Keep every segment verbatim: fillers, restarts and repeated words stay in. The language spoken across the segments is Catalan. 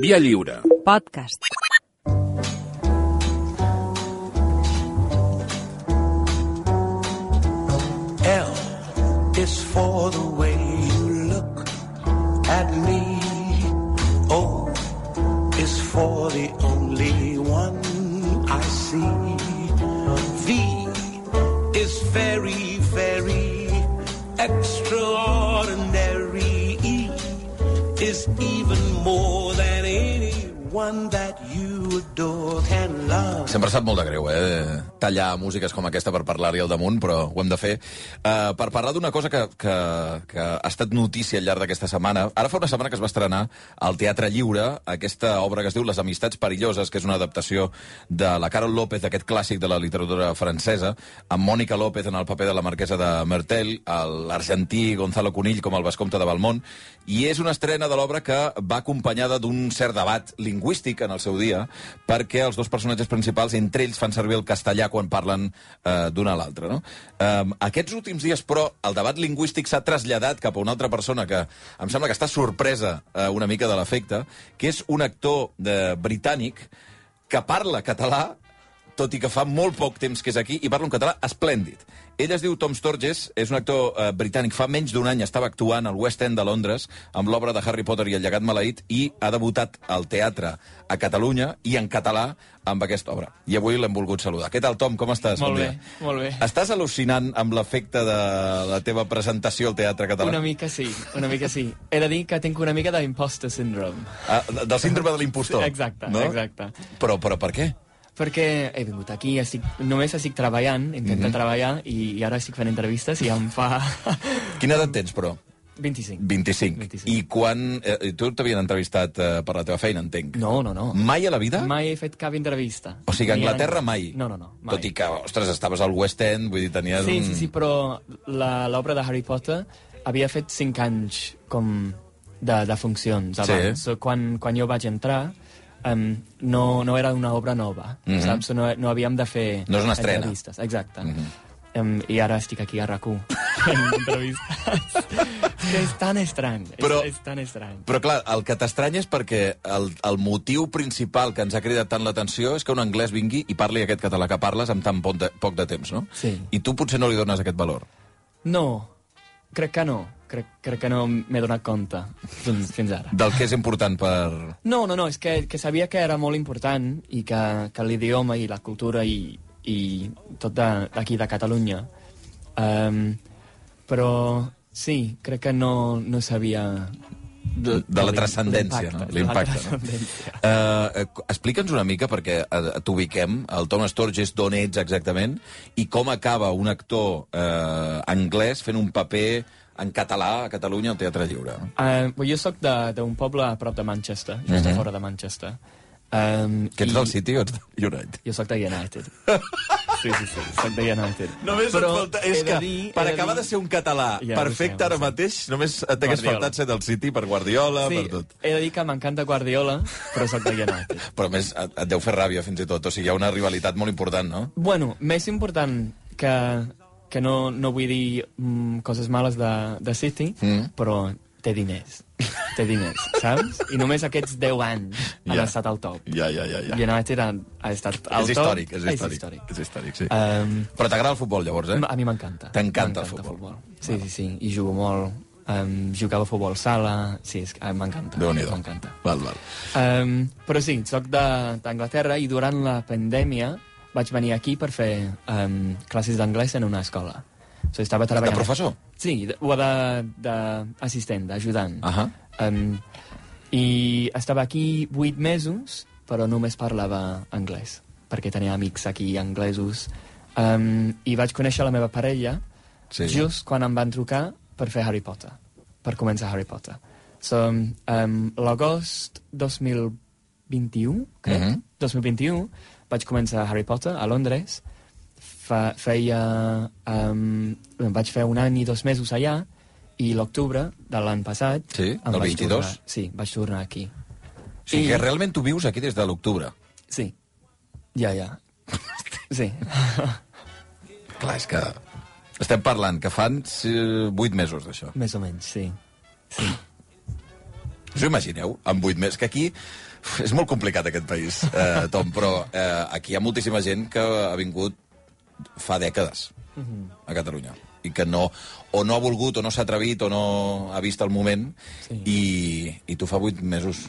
Via Lliure. Podcast. L is for the way you look at me. O is for the only one I see. V is very, very extraordinary. E is even more than anyone that you adore can love. Sempre sap molt de greu, eh? Tallar músiques com aquesta per parlar-hi al damunt, però ho hem de fer. Uh, per parlar d'una cosa que, que, que ha estat notícia al llarg d'aquesta setmana. Ara fa una setmana que es va estrenar al Teatre Lliure aquesta obra que es diu Les amistats perilloses, que és una adaptació de la Carol López, d'aquest clàssic de la literatura francesa, amb Mònica López en el paper de la marquesa de Mertel, l'argentí Gonzalo Conill com el vescomte de Valmont, i és una estrena de l'obra que va acompanyada d'un cert debat lingüístic en el seu dia, perquè els dos personatges principals, entre ells, fan servir el castellà quan parlen eh, d'un a l'altre, no? Eh, aquests últims dies, però, el debat lingüístic s'ha traslladat cap a una altra persona que em sembla que està sorpresa eh, una mica de l'efecte, que és un actor de, britànic que parla català, tot i que fa molt poc temps que és aquí, i parla un català esplèndid. Ell es diu Tom Sturges, és un actor eh, britànic. Fa menys d'un any estava actuant al West End de Londres amb l'obra de Harry Potter i el llegat maleït i ha debutat al teatre a Catalunya i en català amb aquesta obra. I avui l'hem volgut saludar. Què tal, Tom? Com estàs? Molt bon bé, dia. molt bé. Estàs al·lucinant amb l'efecte de la teva presentació al teatre català? Una mica sí, una mica sí. He de dir que tinc una mica d'imposter syndrome. Ah, del síndrome de l'impostor? Exacte, no? exacte. Però, però per què? Perquè he vingut aquí, estic, només estic treballant, intento mm-hmm. treballar, i, i ara estic fent entrevistes i em fa... Quina edat tens, però? vint-i-cinc. vint-i-cinc. vint-i-cinc. I quan... Eh, tu t'havien entrevistat eh, per la teva feina, entenc? No, no, no. Mai a la vida? Mai he fet cap entrevista. O sigui, a Anglaterra mai? No, no, no. Mai. Tot i que, ostres, estaves al West End, vull dir, tenies sí, un... Sí, sí, però l'obra de Harry Potter havia fet cinc anys com de, de funcions abans. Sí. So, quan, quan jo vaig entrar... Um, no, no era una obra nova, mm-hmm. saps? No, no havíem de fer... No és una estrena. Entrevistes. Exacte. Mm-hmm. um, I ara estic aquí a RAC u fent entrevistes. És que és tan estrany. Però, és, és tan estrany. Però clar, el que t'estranya és perquè el, el motiu principal que ens ha cridat tant l'atenció és que un anglès vingui i parli aquest català que parles amb tan poc de, poc de temps, no? Sí. I tu potser no li dones aquest valor. No, crec que no. Crec, crec que no m'he donat compte fins, fins ara. Del que és important per... No, no, no, és que, que sabia que era molt important i que, que l'idioma i la cultura i, i tot d'aquí de, de Catalunya. Um, però sí, crec que no, no sabia... De, de la transcendència, no? L'impacte. No? Uh, Explica'ns una mica, perquè uh, t'ubiquem, el Tom Sturges, d'on ets exactament, i com acaba un actor uh, anglès fent un paper en català a Catalunya al Teatre Lliure. Uh, well, jo soc d'un poble a prop de Manchester, just uh-huh. a fora de Manchester. Um, que ets i... del City o ets de United? Jo soc de United. Sí, sí, sí, soc de United. Només però et falta... És que, dir, per acabar de, dir... de ser un català ja, perfecte sé, ara mateix, només t'hagués faltat ser del City per Guardiola, sí, per tot. He de dir que m'encanta Guardiola, però soc de United. Però a més, et, et deu fer ràbia fins i tot. O sigui, hi ha una rivalitat molt important, no? Bueno, més important que... que no, no vull dir mm, coses males de, de City, mm. però té diners. Té diners, saps? I només aquests deu anys han ja. estat al top. Ja, ja, ja. ja. United ha, ha estat al és top. Històric, és històric, és històric. És històric, sí. Um, però t'agrada el futbol, llavors, eh? A mi m'encanta. T'encanta el futbol. futbol. Sí, bueno. sí, sí. I jugo molt. Um, jugava a futbol sala. Sí, és, uh, m'encanta. Déu-n'hi-do. M'encanta. Val, val. Um, però sí, soc d'Anglaterra i durant la pandèmia vaig venir aquí per fer um, classes d'anglès en una escola. So, estava treballant... De professor? Sí, o d'assistent, d'ajudant. Uh -huh. um, I estava aquí vuit mesos, però només parlava anglès, perquè tenia amics aquí anglesos. Um, I vaig conèixer la meva parella sí. just quan em van trucar per fer Harry Potter, per començar Harry Potter. So, um, l'agost dos mil vint-i-u, crec, uh -huh. dos mil vint-i-u, vaig començar Harry Potter a Londres. Fa, feia... Um, vaig fer un any i dos mesos allà, i l'octubre de l'any passat... Sí, del vint-i-dos? Tornar, sí, vaig tornar aquí. O sigui I... que realment tu vius aquí des de l'octubre? Sí. Ja, ja. Sí. Clar, és que... Estem parlant que fan vuit mesos d'això. Més o menys, sí. sí. Us ho imagineu? Amb vuit mesos, que aquí... És molt complicat aquest país, eh, Tom, però eh, aquí hi ha moltíssima gent que ha vingut fa dècades a Catalunya i que no, o no ha volgut o no s'ha atrevit o no ha vist el moment sí. i, i tu fa vuit mesos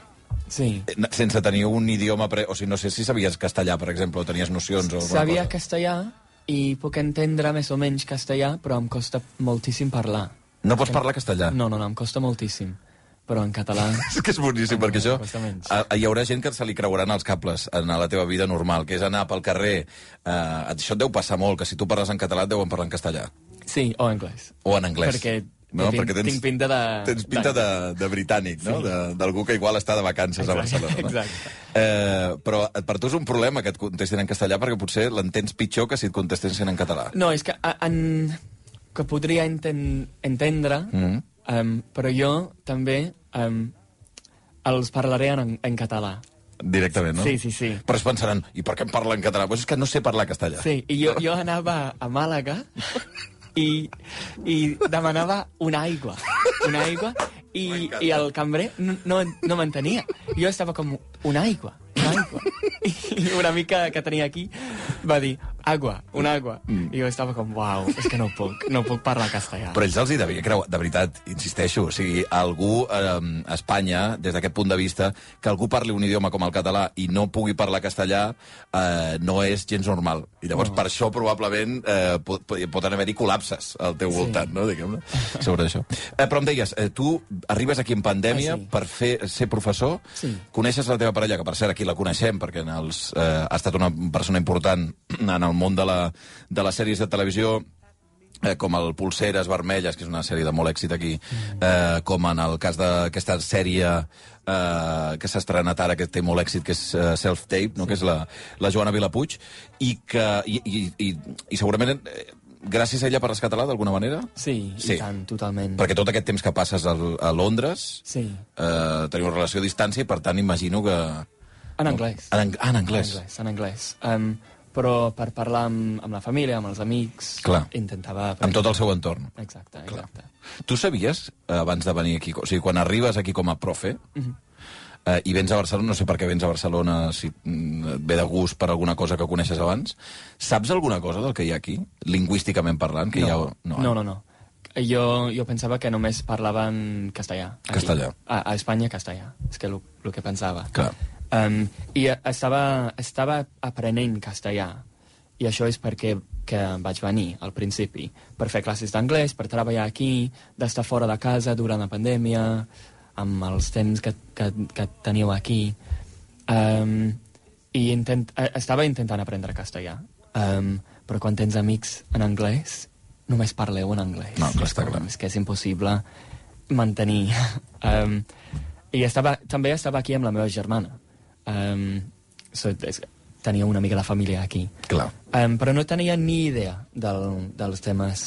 sí. sense tenir un idioma pre... o sigui, no sé si sabies castellà, per exemple, o tenies nocions o sabia cosa. Castellà i puc entendre més o menys castellà, però em costa moltíssim parlar. No pots parlar castellà? No, no, no, em costa moltíssim. Però en català... És que és boníssim, perquè això... A, hi haurà gent que se li creuran els cables en la teva vida normal, que és anar pel carrer... Eh, això et deu passar molt, que si tu parles en català et deuen parlar en castellà. Sí, o en anglès. O en anglès. Perquè, no? tinc, perquè tens, tinc pinta de... Tens pinta de, de britànic, no? Sí. D'algú que igual està de vacances exacte, a Barcelona. No? Exacte. Eh, però per tu és un problema que et contestin en castellà perquè potser l'entens pitjor que si et contestessin en català. No, és que, en, que podria enten, entendre, mm. um, però jo també... Um, els parlaré en, en català. Directament, no? Sí, sí, sí. Però es pensaran, i per què em parla en català? Pues és que no sé parlar castellà. Sí, i jo, jo anava a Màlaga i, i demanava una aigua. Una aigua i, i el cambrer no, no, no m'entenia. Jo estava com, una aigua, una aigua. I una mica que tenia aquí va dir, agua, una agua. Mm. I jo estava com, uau, és que no puc, no puc parlar castellà. Però ells els hi devia creuar, de veritat, insisteixo, o sigui, algú eh, a Espanya, des d'aquest punt de vista, que algú parli un idioma com el català i no pugui parlar castellà, eh, no és gens normal. I llavors, no. per això, probablement, eh, pot, pot haver-hi col·lapses al teu sí. voltant, no?, diguem-ne, sobre això. Eh, però em deies, eh, tu arribes aquí en pandèmia ah, sí. per fer, ser professor, sí. coneixes la teva parella, que per cert aquí la coneixem, perquè en els, eh, ha estat una persona important en el món de, la, de les sèries de televisió, eh, com el Pulseres Vermelles, que és una sèrie de molt èxit aquí, eh, com en el cas d'aquesta sèrie eh, que s'ha estrenat ara, que té molt èxit, que és uh, Self-Tape, no? Sí. Que és la, la Joana Vilapuig, i que i, i, i, i segurament... Eh, gràcies a ella parles català, d'alguna manera? Sí, sí, i tant, totalment. Perquè tot aquest temps que passes a, a Londres, sí. eh, teniu una relació a distància i, per tant, imagino que... En anglès. En, ah, en anglès. En anglès, en anglès. Um, però per parlar amb, amb la família, amb els amics, clar. intentava... Amb tot el seu entorn. Exacte, exacte. Clar. Tu sabies, eh, abans de venir aquí, o sigui, quan arribes aquí com a profe, uh -huh. eh, i vens a Barcelona, no sé per què vens a Barcelona, si mm, ve de gust per alguna cosa que coneixes abans, saps alguna cosa del que hi ha aquí, lingüísticament parlant? Que no. Hi ha... no, no, no, no. Jo, jo pensava que només parlaven castellà. Aquí. Castellà. A, a Espanya, castellà. És que el que pensava. Clar. Um, I estava, estava aprenent castellà. I això és perquè que vaig venir al principi. Per fer classes d'anglès, per treballar aquí, d'estar fora de casa durant la pandèmia, amb els temps que, que, que teniu aquí. Um, I intent, estava intentant aprendre castellà. Um, però quan tens amics en anglès, només parleu en anglès. No, clar, està clar. És que és impossible mantenir. um, I estava, també estava aquí amb la meva germana. Um, so, és, tenia una mica de família aquí. Clar. Um, però no tenia ni idea del, dels temes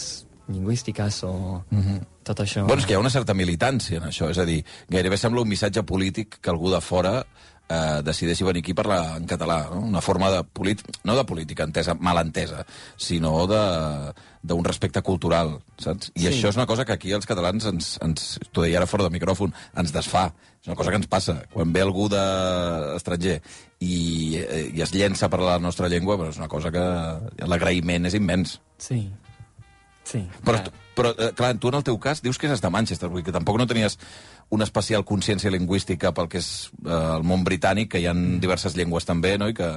lingüístiques o mm-hmm. tot això. Bueno, és que hi ha una certa militància en això, és a dir, gairebé sembla un missatge polític que algú de fora eh, decideixi venir aquí a parlar en català, no? Una forma de política, no de política entesa, mal entesa, sinó d'un respecte cultural, saps? I sí. això és una cosa que aquí els catalans, ens, ens t'ho deia ara fora de micròfon, ens desfà. És una cosa que ens passa. Quan ve algú de estranger i, i es llença a parlar la nostra llengua, però és una cosa que l'agraïment és immens. Sí. Sí. Però, però, clar, tu en el teu cas dius que és de Manchester, vull dir que tampoc no tenies una especial consciència lingüística pel que és eh, el món britànic, que hi ha diverses llengües també, no?, i que,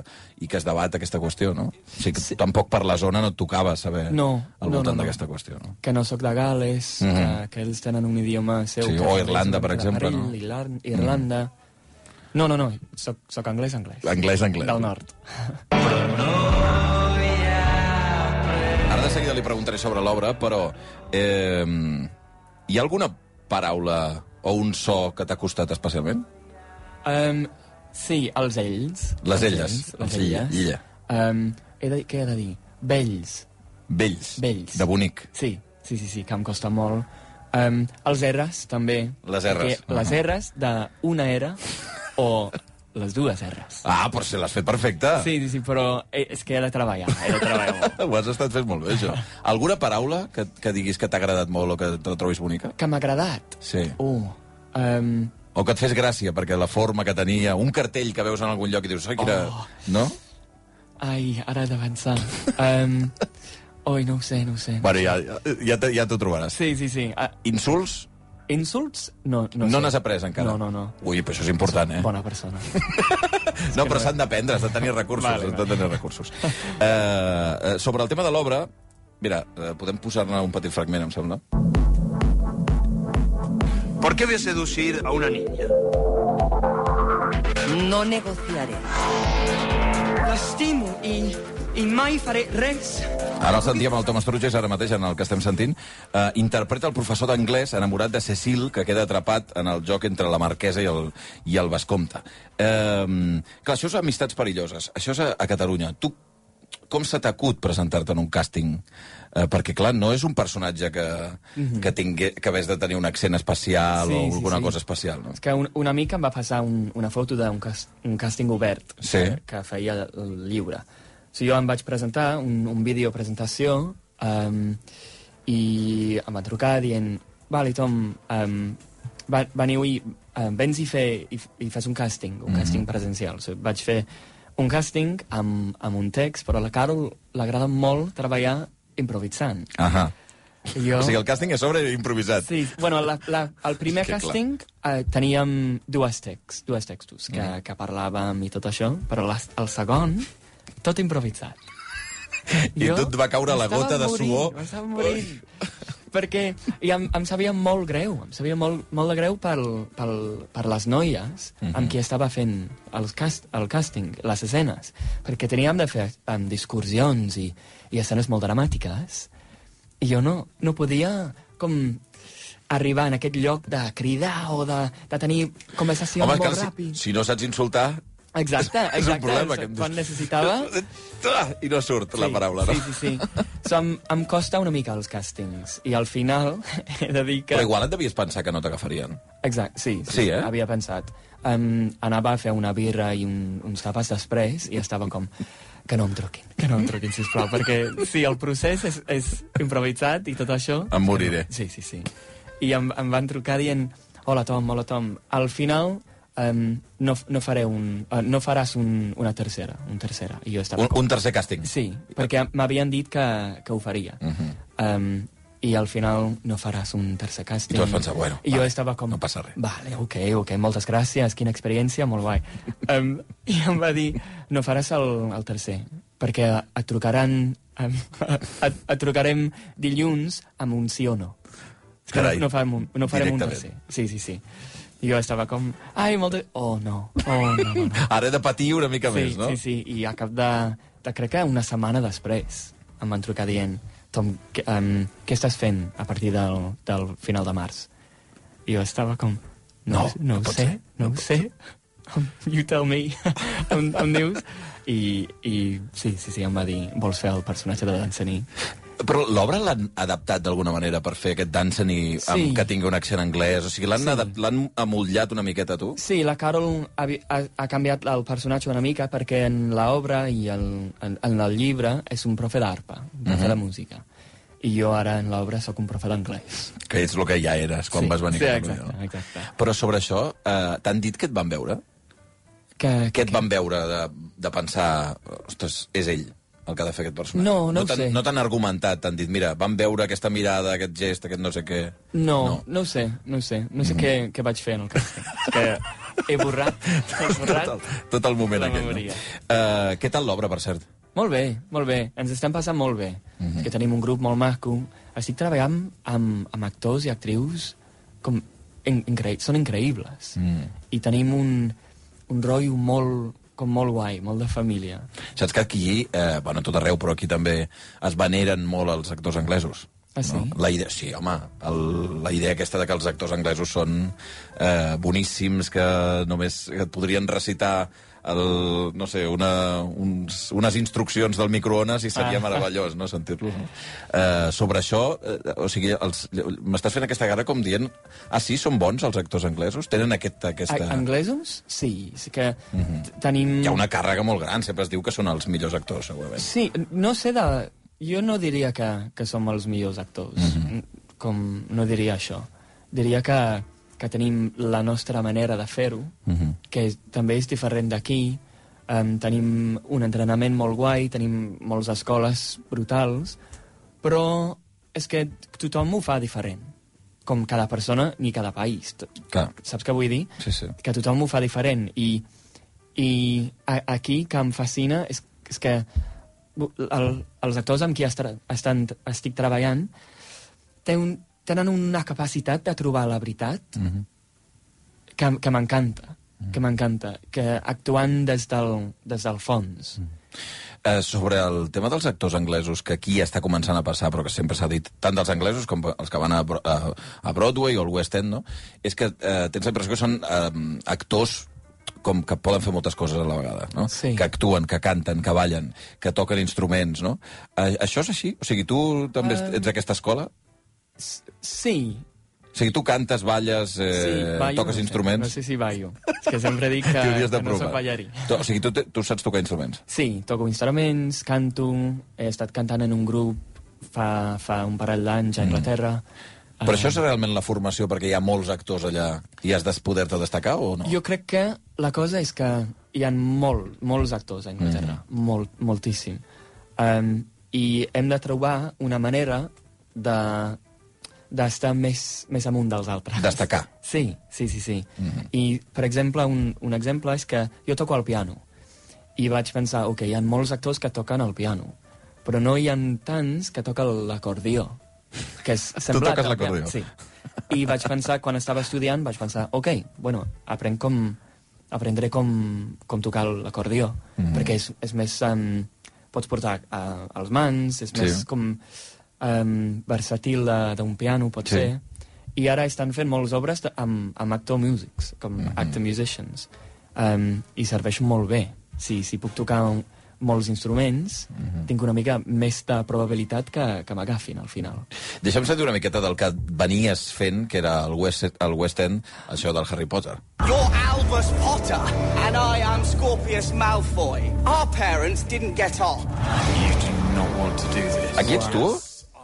i que es debat aquesta qüestió, no? O sigui que sí. tampoc per la zona no et tocava saber no, al no, voltant no, no. d'aquesta qüestió, no? Que no sóc de Gales, mm -hmm. que, que ells tenen un idioma seu... Sí, o Irlanda, per exemple, Perill, no? Irlanda... Irlanda. Mm. No, no, no, soc, soc anglès, anglès. Anglès, anglès. Del nord. Ara de seguida li preguntaré sobre l'obra, però eh, hi ha alguna paraula o un so que t'ha costat especialment? Um, sí, els ells. Les elles. Les elles. elles. Ella. Um, he de, què he de dir? Vells. Vells. Vells. De bonic. Sí, sí, sí, sí, que em costa molt. Um, els R's, també. Les R's. Uh -huh. Les R's d'una era o les dues R's. Ah, però si l'has fet perfecte. Sí, sí, sí, però és que he de treballar, he de treballar molt. Ho has estat fent molt bé, això. Alguna paraula que, que diguis que t'ha agradat molt o que te la trobis bonica? Que m'ha agradat? Sí. Uh, um, O que et fes gràcia, perquè la forma que tenia, un cartell que veus en algun lloc i dius, oi, que era... Oh. No? Ai, ara he de pensar. Um, oi, no ho sé, no ho sé. Bueno, ja, ja, ja, ja t'ho trobaràs. Sí, sí, sí. Uh, Insults? Insults? No, no, No sé. n'has après encara? No, no, no. Ui, però això és important, eh? Bona persona. No, però s'han d'aprendre, has de tenir recursos. Vale, has de tenir recursos. Uh, uh, sobre el tema de l'obra, mira, uh, podem posar-ne un petit fragment, em sembla. ¿Por qué voy a seducir a una niña? No negociaré. L'estimo i, i mai faré res. Ara el sentíem el Thomas Truges, ara mateix, en el que estem sentint. Uh, interpreta el professor d'anglès enamorat de Cecil, que queda atrapat en el joc entre la marquesa i el, i el vescomte. Uh, clar, això és amistats perilloses. Això és a, a Catalunya. Tu, com se t'acut presentar-te en un càsting? Uh, perquè, clar, no és un personatge que, mm-hmm. que, tingué, que hagués de tenir un accent especial sí, o alguna sí, sí. cosa especial, no? És que un, una mica em va passar un, una foto d'un cas, un càsting obert sí. que, que feia el llibre. O sigui, jo em vaig presentar, un, un vídeo presentació, um, i em va trucar dient, vale, Tom, um, va, veniu i um, vens i, fer, i, i fes un càsting, un mm-hmm. càsting presencial. O sigui, vaig fer un càsting amb, amb un text, però a la Carol l'agrada molt treballar improvisant. Ahà. Jo... O sigui, el càsting és sobre improvisat. Sí, bueno, la, la, el primer que càsting eh, teníem dues, text, dues textos que, mm. que parlàvem i tot això, però la, el segon, tot improvisat. I jo tu et va caure la gota de morint, suor. M'estava morint. Perquè i em, em sabia molt greu, em sabia molt, molt de greu pel, pel, per les noies mm-hmm. amb qui estava fent el, cast, el càsting, les escenes, perquè teníem de fer um, discursions i, i escenes molt dramàtiques, i jo no, no podia com arribar en aquest lloc de cridar o de, de tenir conversacions Home, molt si, ràpid. Si no saps insultar... Exacte, exacte. És un problema. Que... Quan necessitava... I no surt sí, la paraula, no? Sí, sí, sí. So, em, em costa una mica els càstings. I al final he de dir que... Però igual et devies pensar que no t'agafarien. Exacte, sí. Sí, sí eh? Havia pensat. Um, anava a fer una birra i un, uns tapes després i estava com... Que no em truquin, que no em truquin, sisplau, perquè si el procés és, és improvisat i tot això... Em moriré. Sí, sí, sí. I em, em van trucar dient, hola Tom, hola Tom, al final um, no, no, faré un, uh, no faràs un, una tercera, un tercera. I jo estava un, com... un tercer càsting? Sí, perquè m'havien dit que, que ho faria. Uh -huh. um, I al final no faràs un tercer càsting. I tu vas pensar, bueno, I vale, jo estava com... no passa res. Vale, ok, ok, moltes gràcies, quina experiència, molt guai. um, I em va dir, no faràs el, el tercer, perquè et trucaran... Um, et, et trucarem dilluns amb un sí o no. Carai, no, no, farem un, no farem un tercer. Sí, sí, sí. I jo estava com... Ai, molt de... Oh, no. Oh, no, no, no. Ara he de patir una mica sí, més, no? Sí, sí, i a cap de, de... Crec que una setmana després em van trucar dient Tom, que, um, què estàs fent a partir del, del final de març? I jo estava com... No, no, no, no ho sé, ser. no, no ho sé. You tell me. em, em dius... I, I sí, sí, sí, em va dir vols fer el personatge de Danceny. Però l'obra l'han adaptat d'alguna manera per fer aquest Danceny sí. que tingui un accent anglès? O sigui, l'han sí. amollat una miqueta, tu? Sí, la Carol ha, ha, ha canviat el personatge una mica perquè en l'obra i el, en, en el llibre és un profe d'arpa, un profe uh-huh. de música. I jo ara en l'obra sóc un profe d'anglès. Que és el que ja eres quan sí, vas venir. Sí, exacte, no? exacte. Però sobre això, eh, t'han dit que et van veure? Que, Què et van veure de, de pensar, ostres, és ell el que ha de fer aquest personatge? No, no, no ho sé. No t'han argumentat, t'han dit, mira, van veure aquesta mirada, aquest gest, aquest no sé què... No, no, no ho sé, no ho sé. No sé mm. què, què vaig fer en el càsting. Que he borrat, he borrat... Tot el, tot el moment aquest, no? Uh, què tal l'obra, per cert? Molt bé, molt bé. Ens estem passant molt bé. Mm -hmm. Que tenim un grup molt maco. Estic treballant amb, amb actors i actrius com incre... són increïbles. Mm. I tenim un... un rotllo molt, com molt guai, molt de família. Saps que aquí, eh, bueno, tot arreu, però aquí també es veneren molt els actors anglesos. Ah, sí? No? La idea, sí, home, el, la idea aquesta de que els actors anglesos són eh, boníssims, que només et podrien recitar el, no sé, una, uns, unes instruccions del microones i seria ah. meravellós, no?, sentir-los. No? Eh, sobre això, eh, o sigui, els, m'estàs fent aquesta cara com dient ah, sí, són bons els actors anglesos? Tenen aquest, aquesta... A anglesos? Sí, sí que uh-huh. tenim... Hi ha una càrrega molt gran, sempre es diu que són els millors actors, segurament. Sí, no sé de... Jo no diria que, que som els millors actors, uh-huh. com no diria això. Diria que, que tenim la nostra manera de fer-ho, uh-huh. que és, també és diferent d'aquí. Um, tenim un entrenament molt guai, tenim moltes escoles brutals, però és que tothom ho fa diferent, com cada persona ni cada país. Clar. Saps què vull dir? Sí, sí. Que tothom ho fa diferent. I, i a, aquí, que em fascina, és, és que el, els actors amb qui estra, estan, estic treballant ten un, tenen una capacitat de trobar la veritat uh-huh. que, que m'encanta. que m'encanta, que actuant des del, des del fons. Mm. Eh, sobre el tema dels actors anglesos, que aquí ja està començant a passar, però que sempre s'ha dit, tant dels anglesos com els que van a, a, a Broadway o al West End, no? És que eh, tens la impressió que són eh, actors com que poden fer moltes coses a la vegada, no? Sí. Que actuen, que canten, que ballen, que toquen instruments, no? Eh, això és així? O sigui, tu també uh... ets d'aquesta escola? Sí. O sigui, tu cantes, balles, eh, sí, ballo, toques no sé, instruments... No sé si ballo. És que sempre dic que, que no soc ballarí. O sigui, tu, tu saps tocar instruments? Sí, toco instruments, canto, he estat cantant en un grup fa, fa un parell d'anys a Anglaterra. Mm. Però uh, això és realment la formació perquè hi ha molts actors allà i has de poder-te destacar o no? Jo crec que la cosa és que hi ha molt, molts actors a Anglaterra, mm. molt, moltíssim. Um, I hem de trobar una manera de... d'estar més, més amunt dels altres. Destacar. Sí, sí, sí. sí. Mm-hmm. I, per exemple, un, un exemple és que jo toco el piano. I vaig pensar, ok, hi ha molts actors que toquen el piano, però no hi ha tants que toquen l'acordió. Que és tu toques l'acordió? Sí. I vaig pensar, quan estava estudiant, vaig pensar, ok, bueno, aprenc com, aprendré com, com tocar l'acordió, mm-hmm. perquè és, és més... Um, pots portar uh, als mans, és més sí. com... Um, versatil d'un piano, pot sí. ser. I ara estan fent moltes obres de, amb, amb actor musics, com mm-hmm. actor musicians. Um, I serveixen molt bé. Si, si puc tocar un, molts instruments, mm-hmm. tinc una mica més de probabilitat que, que m'agafin al final. Deixa'm sentir una miqueta del que venies fent, que era el West, el West End, això del Harry Potter. You're Albus Potter, and I am Scorpius Malfoy. Our parents didn't get on. You do not want to do this. Aquí ets tu?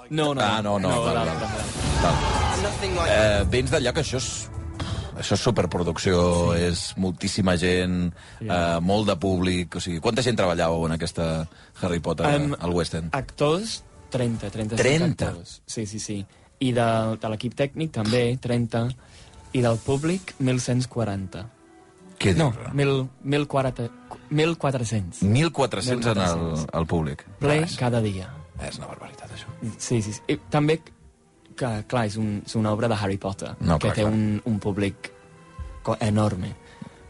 No, no. Ah, no, no. no val, val, val. Eh, vens d'allà que això és, això és superproducció, sí. És moltíssima gent, yeah. eh, molt de públic... O sigui, quanta gent treballàveu en aquesta Harry Potter um, al West End? Actors, trenta, trenta-cinc trenta? Actors. Sí, sí, sí. I de, de l'equip tècnic també, trenta. I del públic, mil cent quaranta. Què dius? No, mil quatre-cents. mil quatre-cents en el, el públic. Ple cada dia. És una barbaritat, això. Sí, sí, sí. I també, que, clar, és, un, és una obra de Harry Potter, no, que clar, té clar. Un, un públic enorme,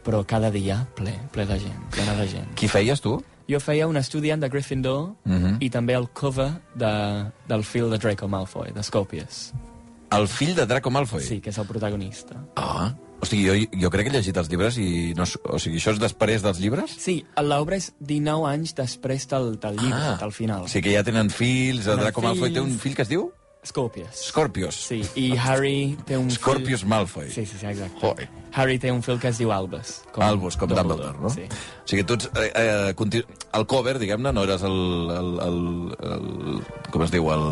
però cada dia ple, ple de gent, plena de gent. Qui feies, tu? Jo feia un estudiant de Gryffindor uh-huh. i també el cover de, del fill de Draco Malfoy, de Scorpius. El fill de Draco Malfoy? Sí, que és el protagonista. Ah, o sigui, jo, jo crec que he llegit els llibres i... No, o sigui, això és després dels llibres? Sí, l'obra és dinou anys després del, del llibre, ah, del final. O sigui que ja tenen fills, el Draco fills... Malfoy té un fill que es diu? Scorpius. Scorpius. Sí, i Harry té un Scorpius fill... Malfoy. Sí, sí, sí, exacte. Hoi. Harry té un fill que es diu Albus. Com Albus, com Dumbledore, Dumbledore, no? Sí. O sigui, tu ets... Eh, eh, continu... El cover, diguem-ne, no eres el, el, el, el... Com es diu? El,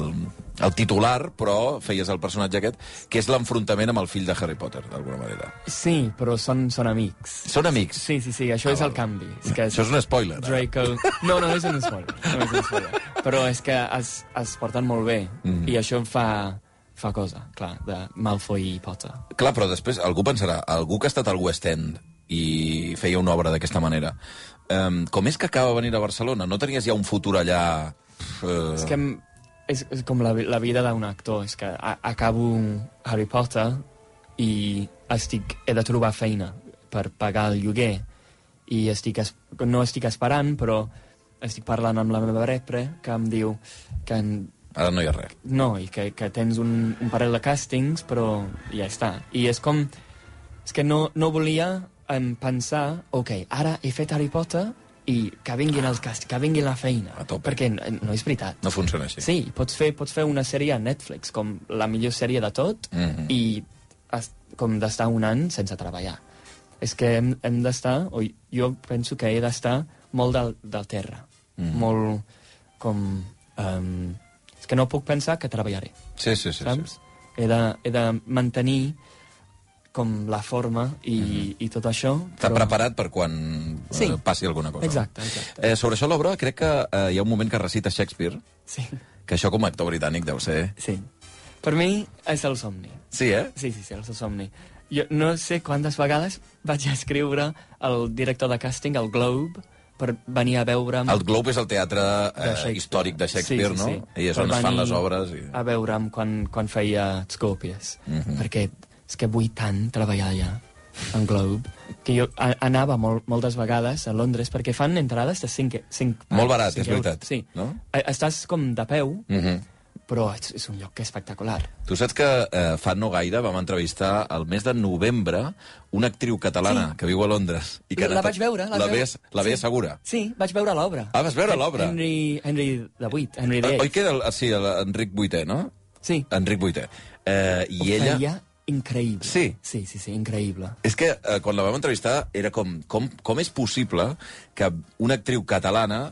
el titular, però feies el personatge aquest, que és l'enfrontament amb el fill de Harry Potter, d'alguna manera. Sí, però són, són amics. Són amics? Sí, sí, sí, això ah, és el canvi. És que això és un spoiler. Draco... No, no, és un spoiler. No és un spoiler. Però és que es, es porten molt bé, mm. i això fa... fa cosa, clar, de Malfoy i Potter. Clar, però després algú pensarà, algú que ha estat al West End i feia una obra d'aquesta manera, um, com és que acaba de venir a Barcelona? No tenies ja un futur allà... Uh... És que és, és com la, la vida d'un actor, és que a, acabo Harry Potter i estic, he de trobar feina per pagar el lloguer i estic, no estic esperant, però estic parlant amb la meva repre, que em diu que... En, ara no hi ha res. No, i que, que tens un, un parell de càstings, però ja està. I és com... És que no, no volia em, pensar, ok, ara he fet Harry Potter i que vinguin els càstings, que vinguin la feina. Perquè no, no és veritat. No funciona així. Sí, pots fer, pots fer una sèrie a Netflix, com la millor sèrie de tot, mm-hmm. i has, com d'estar un any sense treballar. És que hem, hem d'estar, o jo penso que he d'estar molt del, del terra. Mm-hmm. Molt com... Um, que no puc pensar que treballaré. Sí, sí, sí. Saps? Sí. He, de, he de mantenir com la forma i, mm-hmm. i tot això. Està però... preparat per quan sí. eh, passi alguna cosa. Exacte, exacte. Eh, sobre això, l'obra, crec que eh, hi ha un moment que recita Shakespeare, sí. que això com a actor britànic deu ser... Sí. Per mi és el somni. Sí, eh? Sí, sí, sí, és el somni. Jo no sé quantes vegades vaig escriure al director de càsting, al Globe, per venir a veure'm... El Globe és el teatre eh, històric de Shakespeare, sí, sí, sí. no? I és on es fan les obres. I... a veure'm quan, quan feia Scorpius. Mm-hmm. Perquè és que vull tant treballar allà, en Globe, que jo a, anava molt, moltes vegades a Londres, perquè fan entrades de cinc... cinc molt barat, cinc és veritat. Sí. No? Estàs com de peu, mm-hmm. però és, és un lloc que és espectacular. Tu saps que eh, fa no gaire vam entrevistar al mes de novembre una actriu catalana sí. que viu a Londres. I que la vaig veure. La, la veies, la veies sí. segura? Sí, vaig veure l'obra. Ah, vas veure l'obra? Henry, Henry the Vuit, Henry the Eighth. Oi que era el, sí, l'Enric vuitè, no? Sí. Enric vuitè. Eh, I Ho ella... feia increïble. Sí? Sí, sí, sí, increïble. És que eh, quan la vam entrevistar era com, com, com és possible que una actriu catalana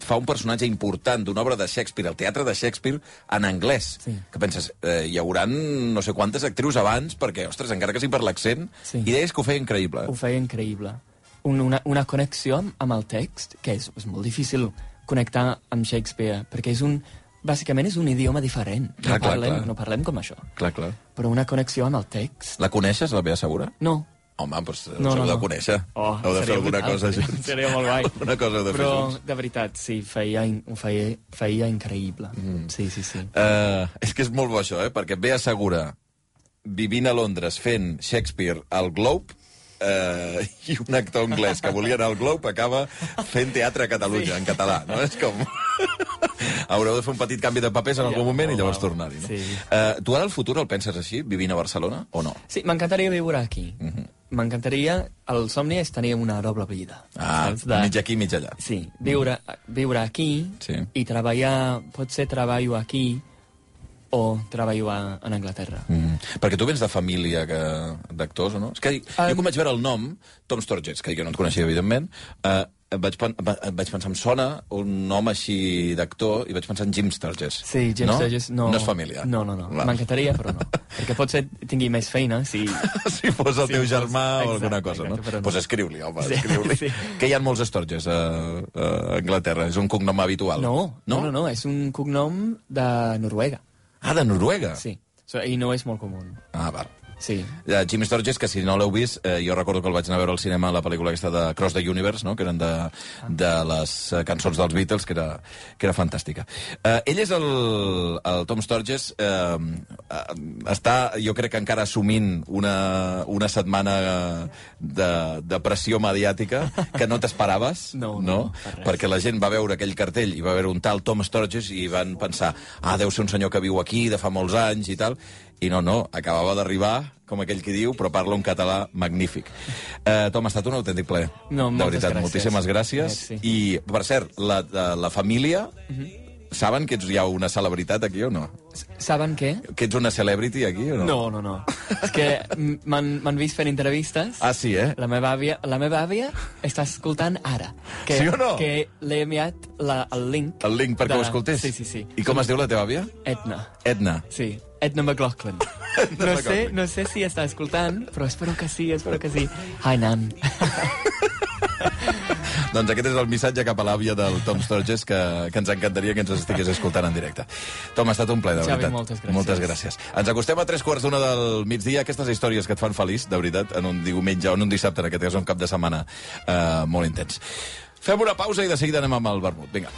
fa un personatge important d'una obra de Shakespeare, el teatre de Shakespeare, en anglès. Sí. Que penses, eh, hi hauran no sé quantes actrius abans, perquè, ostres, encara que sigui per l'accent, Sí. i deies que ho feia increïble. Ho feia increïble. Un, una, una connexió amb, amb el text, que és, és molt difícil connectar amb Shakespeare, perquè és un... Bàsicament és un idioma diferent. Clar, no, clar, parlem, clar. no parlem com això. Clar, clar. Però una connexió amb el text... La coneixes, la Bea Segura? No. Home, doncs No, us heu no, de no. conèixer. Oh, heu de fer seria alguna brutal, cosa seria- junts. seria molt guai. Alguna cosa heu de fer Però, junts. de veritat, sí, feia, in- ho feia, feia increïble. Mm. Sí, sí, sí. Uh, és que és molt bo això, eh? Perquè Bea Segura, vivint a Londres, fent Shakespeare al Globe, uh, i un actor anglès que volia anar al Globe acaba fent teatre a Catalunya, sí. en català, no? És com... Haureu de fer un petit canvi de papers en algun Ja, moment i oh, llavors wow. tornar-hi, no? Sí. Uh, tu ara el futur el penses així, vivint a Barcelona, o no? Sí, m'encantaria viure aquí. Mhm. M'encantaria... El somni és tenir una doble vida. Ah, saps? De- mig aquí, mig allà. Sí, viure, viure aquí Sí. i treballar... Potser treballo aquí o treballo a, en Anglaterra. Mm. Perquè tu vens de família que... d'actors, o no? És que jo Um, quan vaig veure el nom, Tom Sturges, que jo no et coneixia, evidentment, eh, vaig, pen va- vaig pensar, em sona un nom així d'actor, i vaig pensar en Jim Sturges. Sí, Jim no? Sturges no... No és família. No, no, no. Va. M'encantaria, però no. Perquè potser tingui més feina si... Si fos el Si teu fos- germà o exacte, alguna cosa, exacte, no? però no. Doncs pues escriu-li, home, Sí, escriu-li. sí. Que hi ha molts Sturges a, a Anglaterra, és un cognom habitual. No, no, no, no, és un cognom de Noruega. Ah, de Noruega? Sí, so, i no és molt comú. Ah, val. Sí. Uh, Jim Sturges, que si no l'heu vist, eh, jo recordo que el vaig anar a veure al cinema, la pel·lícula aquesta de Cross the Universe, no? Que eren de, de les eh, cançons dels Beatles, que era, que era fantàstica. Uh, ell és el, el Tom Sturges, uh, uh, està, jo crec que encara assumint una, una setmana de, de pressió mediàtica que no t'esperaves, No, no, no? per res. Perquè la gent va veure aquell cartell i va veure un tal Tom Sturges i van pensar, ah, deu ser un senyor que viu aquí de fa molts anys i tal, i no, no, acabava d'arribar, com aquell qui diu, però parla un català magnífic. Eh, Tom, ha estat un autèntic plaer. No, de moltes veritat, gràcies. moltíssimes gràcies. Merci. I, per cert, la, la, la família, Mhm. saben que ets ja una celebritat aquí o no? Saben què? Que ets una celebrity aquí o no? No, no, no. És que m'han m'han vist fent entrevistes. Ah, sí, eh? La meva àvia, la meva àvia està escoltant ara. Que, Sí o no? Que l'he enviat la, el link. El link perquè de- ho escoltés? Sí, sí, sí. I com es diu la teva àvia? Edna. Edna. Sí, Edna McLaughlin. No sé, no sé si està escoltant, però espero que sí, espero que sí. Hi, Nan. Doncs aquest és el missatge cap a l'àvia del Tom Sturges, que, que ens encantaria que ens estigués escoltant en directe. Tom, ha estat un plaer, de Xavi, veritat. moltes gràcies. Moltes gràcies. Ens acostem a tres quarts d'una del migdia, aquestes històries que et fan feliç, de veritat, en un diumenge o en un dissabte, en aquest cas un cap de setmana eh, molt intens. Fem una pausa i de seguida anem amb el vermut. Vinga.